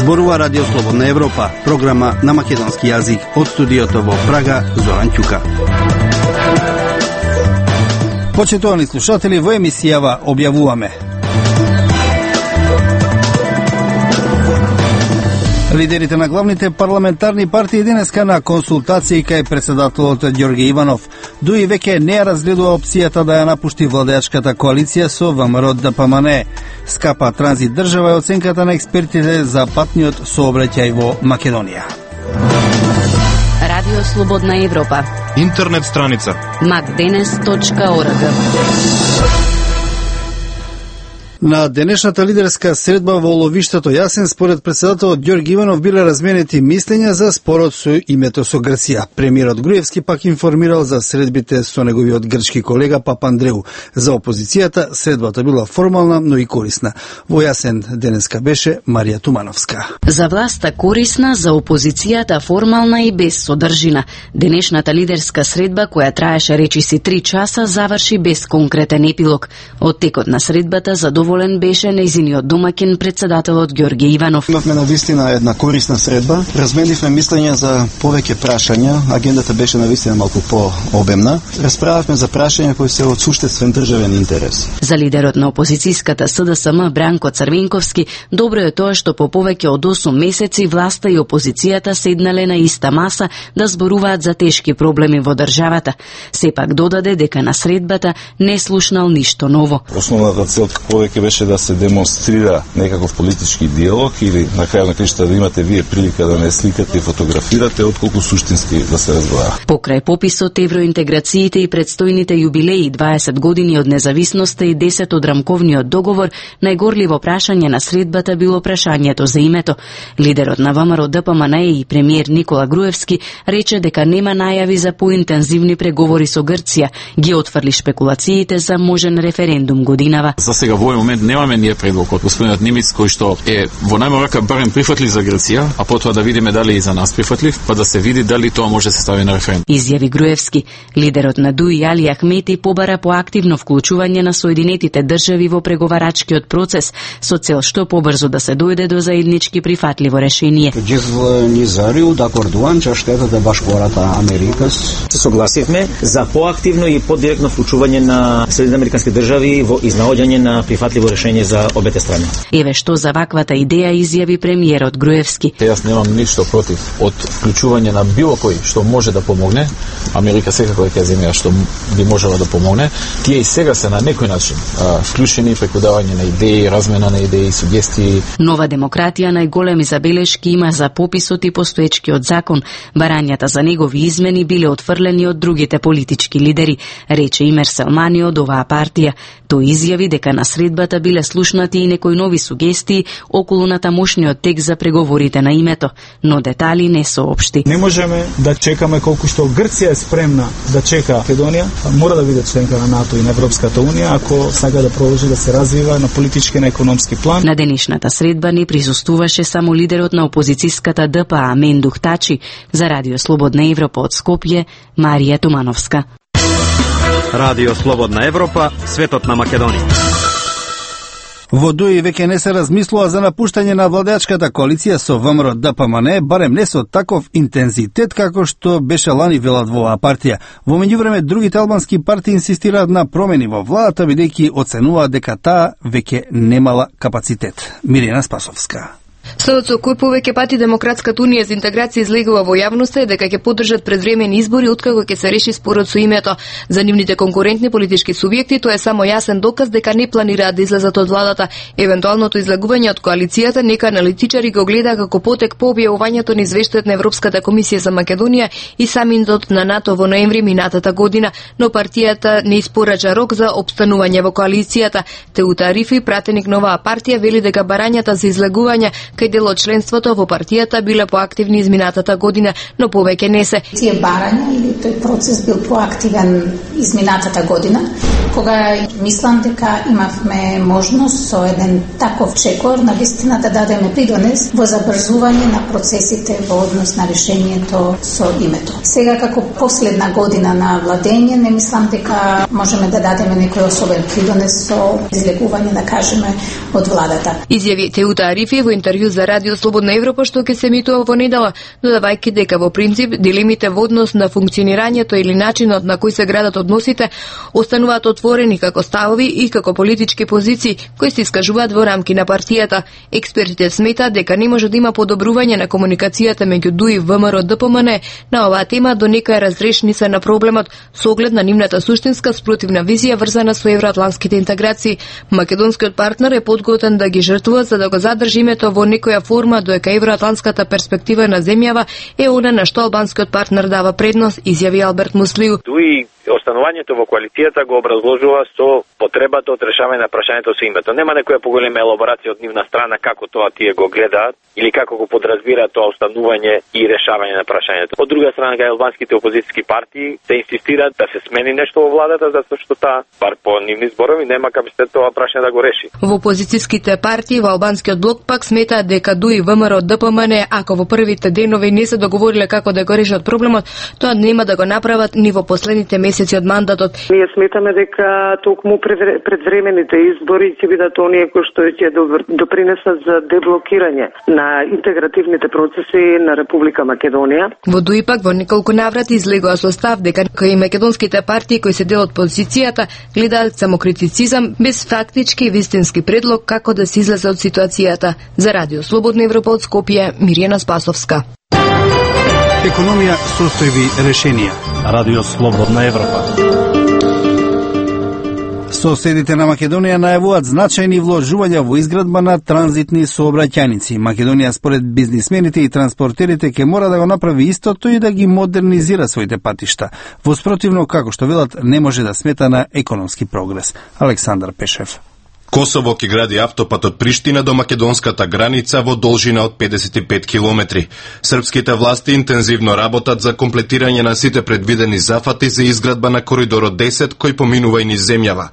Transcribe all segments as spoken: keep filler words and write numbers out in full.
Зборува Радио Слободна Европа, програма на македонски јазик од студиото во Прага, Зоран Ќука. Почитувани слушатели, во емисијава објавуваме: лидерите на главните парламентарни партии денеска на консултации кај председателот Ѓорѓе Иванов. Дуи веќе не ја разгледува опцијата да ја напушти владеачката коалиција со ВМРО Д П М Н. Скапа транзит држава е оценката на експертите за патниот сообраќај во Македонија. Радио Слободна Европа. Интернет страница макденес точка орг. На денешната лидерска средба во ловиштето Јасен, според председателот Ѓорѓе Иванов, биле разменети мислења за спорот со името со Грција. Премиерот Груевски пак информирал за средбите со неговиот грчки колега Папандреу. За опозицијата средбата била формална, но и корисна. Во Јасен денеска беше Марија Тумановска. За власта корисна, за опозицијата формална и без содржина. Денешната лидерска средба, која траеше речиси три часа, заврши без конкретен епилог. Од текот на средбата задоволен беше нејзиниот домаќин председателот Ѓорѓе Иванов. Имавме навистина една корисна средба. Разменивме мислења за повеќе прашања. Агендата беше навистина малку пообемна. Расправавме за прашања кои се од суштествен државен интерес. За лидерот на опозицијската С Д С М Бранко Црвенковски, добро е тоа што по повеќе од осум месеци власта и опозицијата седнале на иста маса да зборуваат за тешки проблеми во државата. Сепак додаде дека на средбата не слушнал ништо ново. Основната цел повеќе беше да се демонстрира некаков политички диалог или на крај на крајшта да имате вие прилика да не сликате и фотографирате, отколку суштински да се разговара. Покрај пописот, евроинтеграциите и предстојните јубилеи, дваесет години од независноста и десет од рамковниот договор, најгорливо прашање на средбата било прашањето за името. Лидерот на ВМРО Д П М Н и премиер Никола Груевски рече дека нема најави за поинтензивни преговори со Грција, ги отфрли шпекулациите за можен референдум годинава. За сега во овој момент немаме ние предлог од господинот Немец кој што е во најма рака барем прифатлив за Грција, а потоа да видиме дали и за нас прифатлив, па да се види дали тоа може да се стави на референдум. Изјави Груевски. Лидерот на ДУИ Али Ахмети побара поактивно вклучување на Соединетите држави во преговарачкиот процес со цел што побрзо да се дојде до заеднички прифатливо решение. Се согласивме за поактивно и подиректно вклучување на Соединетите американски држави во изнаоѓање на прифатливо решение за обете страни. Еве што за ваквата идеја изјави премиерот Груевски. Јас немам ништо против од вклучување на било кој што може да помогне. Америка секако е таа земја што би можела да помогне. Тие и сега се на некој начин а, вклучени преку давање на идеи, размена на идеи, сугестии. Нова демократија најголеми забелешки има за пописот и постоечкиот закон. Барањата за негови измени биле отфрлени од другите политички лидери, рече Имер Селмани од оваа партија. Тој изјави дека на средбата биле слушнати и некои нови сугестии околу натамошниот текст за преговорите на името, но детали не соопшти. Не можеме да чекаме колку што Грција е спремна да чека Македонија, мора да биде членка на НАТО и на Европската унија ако сака да продолжи да се развива на политички и на економски план. На денешната средба не присуствуваше само лидерот на опозицијската Д П А Мендух Тачи. За Радио Слободна Европа од Скопје, Марија Тумановска. Радио Слободна Европа, светот на Македонија. Во ДУИ веќе не се размислува за напуштање на владеачката коалиција со ВМРО Д П М Н, барем не со таков интензитет како што беше лани, велат во оваа партија. Во меѓувреме другите албански партии инсистираат на промени во владата, бидејќи оценуваат дека таа веќе немала капацитет. Мирина Спасовска. Следот со кој повеќе пати Демократската унија за интеграција излегува во јавноста е дека ќе поддржат предвремени избори откако ќе се реши спорот со името. За нивните конкурентни политички субјекти тоа е само јасен доказ дека не планираат да излезат од владата. Евентуалното излегување од коалицијата нека аналитичари го гледа како потек по објавувањето на извештајот на Европската комисија за Македонија и самитот на НАТО во ноември минатата година, но партијата не испорача рок за опстанување во коалицијата. Теута Арифи, пратеник на оваа партија, вели дека барањата за излегување кај дел од членството во партијата биле поактивни изминатата година, но повеќе не се. Тие барања или тој процес бил поактивен изминатата година, кога мислам дека имавме можност со еден таков чекор на вистина да дадеме придонес во забрзување на процесите во однос на решението со името. Сега како последна година на владење не мислам дека можеме да дадеме некој особен придонес со излегување, да кажеме, од владата. Изјави Теута Арифи во интервју интервју за Радио Слободна Европа што ќе се емитува во недела, додавајќи дека во принцип дилемите во однос на функционирањето или начинот на кој се градат односите остануваат отворени како ставови и како политички позиции кои се искажуваат во рамки на партијата. Експертите сметаат дека не може да има подобрување на комуникацијата меѓу ДУ и ВМРО Д П М Н на оваа тема до некоја разрешница на проблемот со оглед на нивната суштинска спротивна визија врзана со евроатлантските интеграции. Македонскиот партнер е подготвен да ги жртвува за да го задржи името во некоја форма, додека евроатлантската перспектива на земјава е она на што албанскиот партнер дава предност, изјави Алберт Муслиу. Дуи останувањето во коалицијата го образложува со потребата од решавање на прашањето со името. Нема некоја поголема елаборација од нивна страна како тоа тие го гледаат или како го подразбираат тоа останување и решавање на прашањето. Од друга страна, кај албанските опозицијски партии се инсистираат да се смени нешто во владата затоа што таа, бар по нивни зборови, нема капацитет тоа прашање да го реши. Во опозицијските партии во албанскиот блок пак сметаат дека ДУ и ВМРО Д П М Н, ако во првите денови не се договориле како да го решат проблемот, тоа нема да го направат ни во последните месеци од мандатот. Ние сметаме дека токму предвремените избори ќе бидат оние кои што ќе допринесат за деблокирање на интегративните процеси на Република Македонија. Во ДУ и пак во неколку наврати излегува со став дека кои македонските партии кои се дел од опозицијата гледаат самокритицизам без фактички и вистински предлог како да се излезе од ситуацијата. За Радио Слободна Европа од Скопје, Мирјана Спасовска. Економија, состојби, решенија. Радио Слободна Европа. Соседите на Македонија најавуваат значајни вложувања во изградба на транзитни сообраќајници. Македонија според бизнисмените и транспортерите ќе мора да го направи истото и да ги модернизира своите патишта. Во спротивно, како што велат, не може да смета на економски прогрес. Александар Пешев. Косово ќе гради автопат од Приштина до македонската граница во должина од педесет и пет километри. Српските власти интензивно работат за комплетирање на сите предвидени зафати за изградба на коридорот десет кој поминува и низ земјава.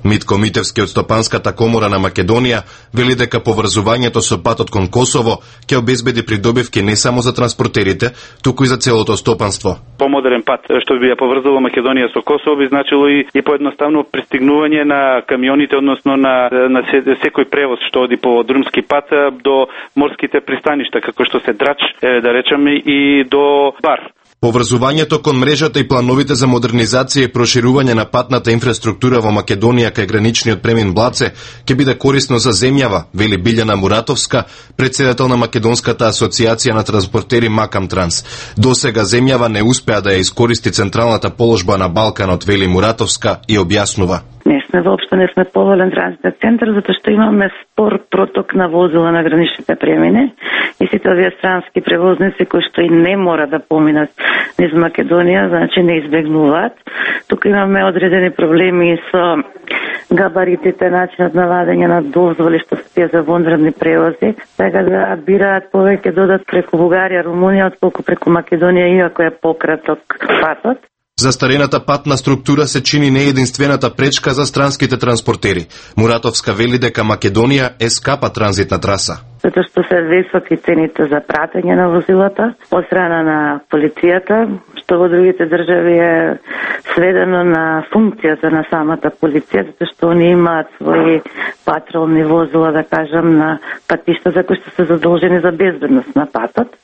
Митко Митевски од Стопанската комора на Македонија вели дека поврзувањето со патот кон Косово ќе обезбеди придобивки не само за транспортерите, туку и за целото стопанство. Помодерен пат што би ја поврзувал Македонија со Косово би значило и, и поедноставно пристигнување на камионите, односно на на секој превоз што оди по друмски пат до морските пристаништа, како што се Драч, да речеме, и до Бар. Поврзувањето кон мрежата и плановите за модернизација и проширување на патната инфраструктура во Македонија кај граничниот премин Блаце ќе биде корисно за земјава, вели Билјана Муратовска, председател на Македонската асоциација на транспортери Макам Транс. Досега земјава не успеа да ја искористи централната положба на Балканот, вели Муратовска и објаснува. Не сме воопшто не сме поволен транзитен центар, затоа што имаме спор проток на возила на граничните премини и сите овие странски превозници кои што и не мора да поминат низ Македонија, значи не избегнуваат. Тука имаме одредени проблеми со габаритите, начинот на вадење на дозволи што се тие за вонредни превози, така да бираат повеќе додат преку Бугарија, Румунија, отколку преку Македонија, иако е пократок патот. Застарената патна структура се чини не единствената пречка за странските транспортери. Муратовска вели дека Македонија е скапа транзитна траса. Затоа што се високи цените за пратење на возилата од страна на полицијата, што во другите држави е сведено на функцијата на самата полиција, затоа што они имаат своји патролни возила, да кажам, на патишта за кои што се задолжени за безбедност на патот.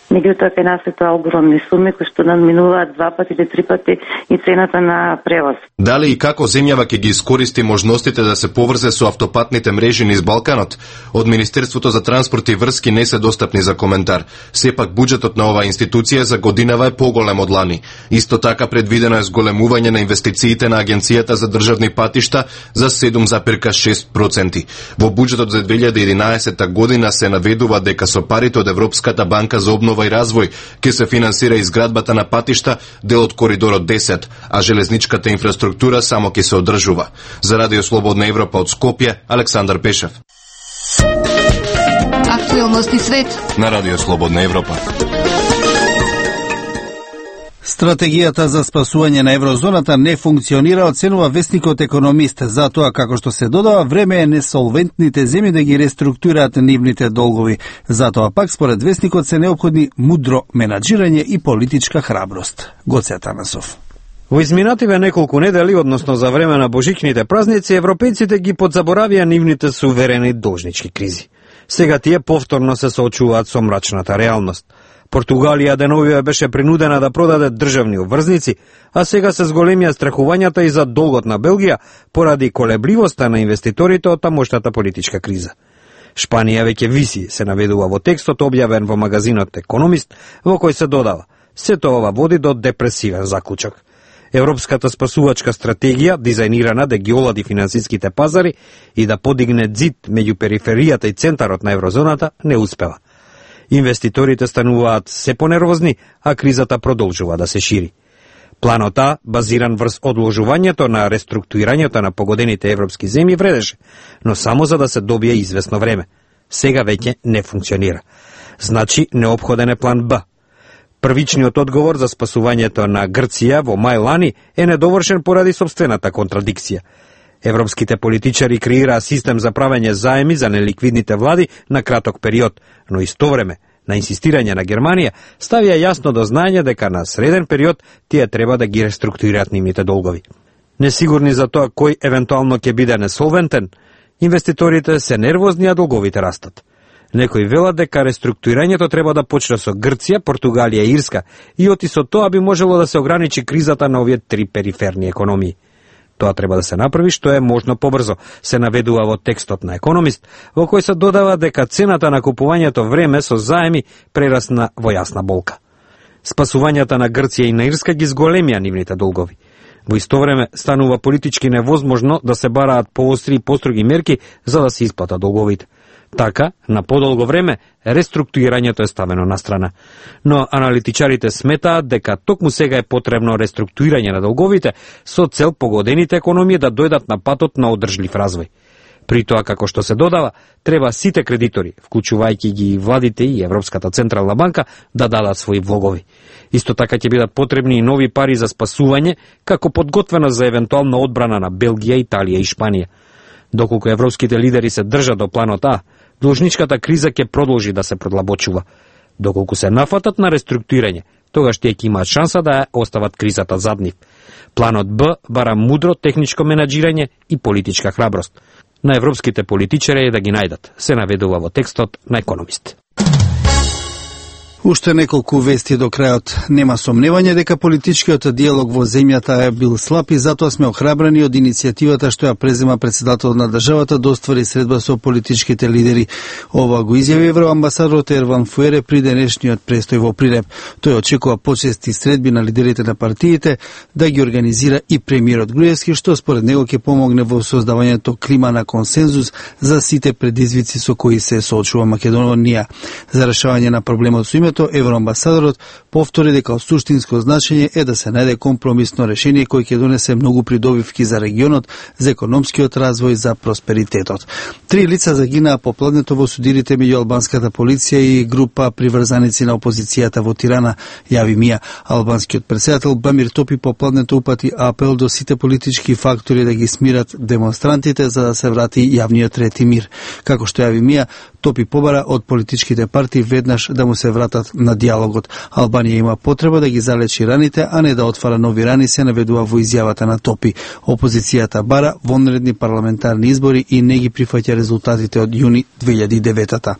Меѓутоа кај нас е тоа огромни суми кои што надминуваат два пати или три пати и цената на превоз. Дали и како земјава ќе ги искористи можностите да се поврзе со автопатните мрежи низ Балканот? Од Министерството за транспорт и врски не се достапни за коментар. Сепак буџетот на оваа институција за годинава е поголем од лани. Исто така предвидено е зголемување на инвестициите на Агенцијата за државни патишта за седум зарез шест проценти. Во буџетот за две илјади и единаесетта година се наведува дека со парите од Европската банка за обнова и развој ќе се финансира изградбата на патишта, дел од коридорот десет, а железничката инфраструктура само ќе се одржува. За Радио Слободна Европа од Скопје, Александар Пешев. Актуелности свет на Радио Слободна Европа. Стратегијата за спасување на еврозоната не функционира, оценува вестникот Економист. Затоа, како што се додава, време е несолвентните земји да ги реструктурираат нивните долгови. Затоа пак, според вестникот, се неопходни мудро менаџирање и политичка храброст. Гоце Атанасов. Во изминативе неколку недели, односно за време на божичните празници, европејците ги подзаборавија нивните суверени должнички кризи. Сега тие повторно се соочуваат со мрачната реалност. Португалија деновиве беше принудена да продаде државни обврзници, а сега се зголемија страхувањата и за долгот на Белгија поради колебливоста на инвеститорите од тамошната политичка криза. Шпанија веќе виси, се наведува во текстот објавен во магазинот Економист, во кој се додава: сето ова води до депресивен заклучок. Европската спасувачка стратегија, дизајнирана да ги олади финансиските пазари и да подигне зид меѓу периферијата и центарот на еврозоната, не успева. Инвеститорите стануваат се понервозни, а кризата продолжува да се шири. Планот А, базиран врз одложувањето на реструктурирањето на погодените европски земји, вредеше, но само за да се добие известно време. Сега веќе не функционира. Значи, неопходен е план Б. Првичниот одговор за спасувањето на Грција во мај лани е недовршен поради собствената контрадикција. Европските политичари креираа систем за правење заеми за неликвидните влади на краток период, но исто време, на инсистирање на Германија, ставија јасно до знаење дека на среден период тие треба да ги реструктурираат нивните долгови. Несигурни за тоа кој евентуално ќе биде несолвентен, инвеститорите се нервозни, а долговите растат. Некои велат дека реструктурирањето треба да почне со Грција, Португалија и Ирска и оти со тоа би можело да се ограничи кризата на овие три периферни економии. Тоа треба да се направи што е можно побрзо, се наведува во текстот на Економист, во кој се додава дека цената на купувањето време со заеми прерасна во јасна болка. Спасувањата на Грција и на Ирска ги зголемија нивните долгови. Во исто време станува политички невозможно да се бараат поостри и построги мерки за да се исплатат долговите. Така, на подолго време, реструктурирањето е ставено на страна. Но аналитичарите сметаат дека токму сега е потребно реструктурирање на долговите со цел погодените економии да дојдат на патот на одржлив развој. При тоа, како што се додава, треба сите кредитори, вклучувајќи ги и владите и Европската централна банка, да дадат своји влогови. Исто така ќе бидат потребни и нови пари за спасување, како подготвено за евентуална одбрана на Белгија, Италија и Шпанија. Доколку европските лидери се држат до планот А, должничката криза ќе продолжи да се продлабочува. Доколку се нафатат на реструктурирање, тогаш тие ќе имаат шанса да ја остават кризата зад нив. Планот Б бара мудро техничко менаџирање и политичка храброст. На европските политичари е да ги најдат, се наведува во текстот на Економист. Уште неколку вести до крајот. Нема сомневање дека политичкиот диалог во земјата е бил слаб и затоа сме охрабрени од иницијативата што ја презема претседателот на државата да оствари средба со политичките лидери. Ова го изјави евроамбасадорот Ерван Фуере при денешниот престој во Прилеп. Тој очекува почести средби на лидерите на партиите да ги организира и премиерот Груевски, што според него ќе помогне во создавањето клима на консензус за сите предизвици со кои се соочува Македонија. За решавање на проблемот со името, евроамбасадорот повтори дека од суштинско значење е да се најде компромисно решение кој ќе донесе многу придобивки за регионот, за економскиот развој, за просперитетот. Три лица загинаа попладнето во судирите меѓу албанската полиција и група приврзаници на опозицијата во Тирана, јави МИА. Албанскиот председател Бамир Топи попладнето упати апел до сите политички фактори да ги смират демонстрантите за да се врати јавниот ред и мир. Како што јави МИА, Топи побара од политичките партии веднаш да му се вратат на диалогот. Албанија има потреба да ги залечи раните, а не да отвара нови рани, се наведува во изјавата на Топи. Опозицијата бара вонредни парламентарни избори и не ги прифаќа резултатите од јуни две илјади и девета.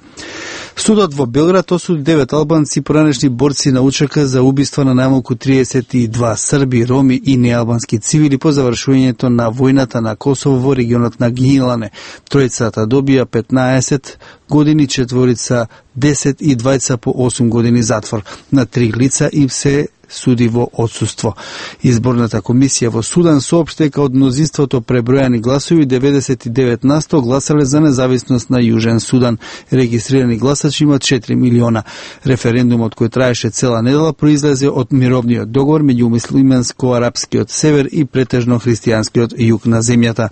Судот во Белград осуди девет албанци поранешни борци на УЧК за убиства на најмалку триесет и два срби, роми и неалбански цивили по завршувањето на војната на Косово во регионот на Гинилане. Тројцата добија петнаесет години, четворица десет и двајца по осум години затвор. На три лица им се суди во отсуство. Изборната комисија во Судан соопшти дека од мнозинството пребројани гласови деветдесет и девет на сто гласале за независност на Јужен Судан. Регистрирани гласачи има четири милиона. Референдумот кој траеше цела недела произлезе од мировниот договор меѓу муслиманско-арапскиот север и претежно христијанскиот југ на земјата.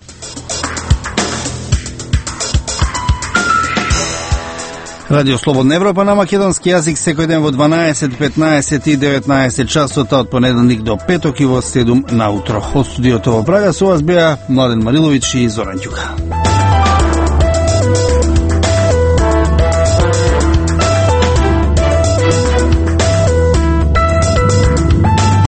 Радио Слободна Европа на македонски јазик секој ден во дванаесет, петнаесет и деветнаесет часот од понеделник до петок и во седум наутро. Од студиото во Прага со вас беа Младен Мариловиќ и Зоран Ѓука.